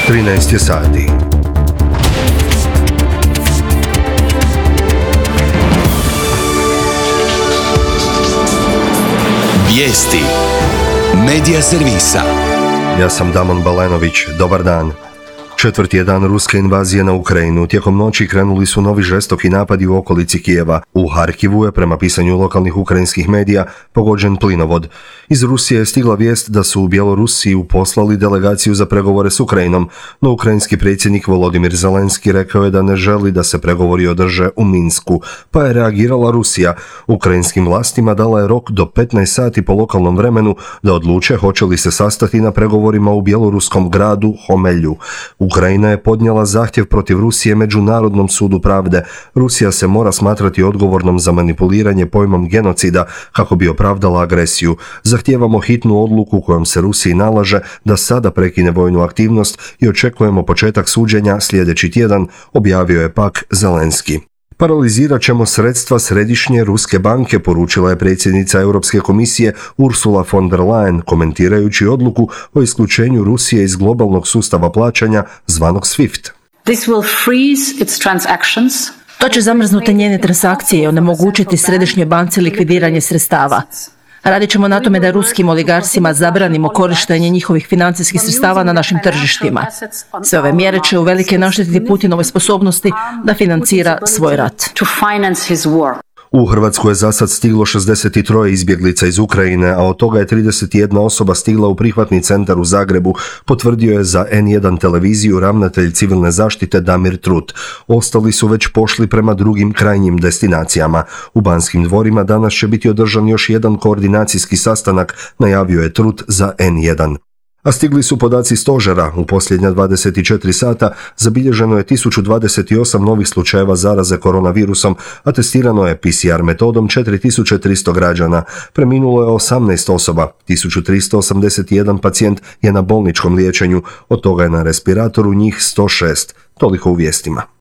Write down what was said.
13 je sati. Vijesti Medija servisa. Ja sam Damon Balenović. Dobar dan. Četvrti je dan ruske invazije na Ukrajinu. Tijekom noći krenuli su novi žestoki napadi u okolici Kijeva. U Harkivu je, prema pisanju lokalnih ukrajinskih medija, pogođen plinovod. Iz Rusije je stigla vijest da su u Bjelorusiju poslali delegaciju za pregovore s Ukrajinom, no ukrajinski predsjednik Volodimir Zelenski rekao je da ne želi da se pregovori održe u Minsku, pa je reagirala Rusija. Ukrajinskim vlastima dala je rok do 15 sati po lokalnom vremenu da odluče hoće li se sastati na pregovorima u bjeloruskom gradu Homelju. Ukrajina je podnijela zahtjev protiv Rusije Međunarodnom sudu pravde. Rusija se mora smatrati odgovornom za manipuliranje pojmom genocida kako bi opravdala agresiju. Zahtijevamo hitnu odluku kojom se Rusiji nalaže da sada prekine vojnu aktivnost i očekujemo početak suđenja sljedeći tjedan, objavio je pak Zelenski. Paralizirat ćemo sredstva Središnje ruske banke, poručila je predsjednica Europske komisije Ursula von der Leyen, komentirajući odluku o isključenju Rusije iz globalnog sustava plaćanja zvanog SWIFT. To će zamrznuti njene transakcije i onemogućiti Središnjoj banci likvidiranje sredstava. Radit ćemo na tome da ruskim oligarsima zabranimo korištenje njihovih financijskih sredstava na našim tržištima. Sve ove mjere će uvelike naštetiti Putinovoj sposobnosti da financira svoj rat. U Hrvatsku je zasad stiglo 63 izbjeglica iz Ukrajine, a od toga je 31 osoba stigla u prihvatni centar u Zagrebu, potvrdio je za N1 televiziju ravnatelj civilne zaštite Damir Trut. Ostali su već pošli prema drugim krajnjim destinacijama. U Banskim dvorima danas će biti održan još jedan koordinacijski sastanak, najavio je Trut za N1. A stigli su podaci stožera. U posljednja 24 sata zabilježeno je 1028 novih slučajeva zaraze koronavirusom, a testirano je PCR metodom 4300 građana. Preminulo je 18 osoba, 1381 pacijent je na bolničkom liječenju, od toga je na respiratoru njih 106. Toliko u vijestima.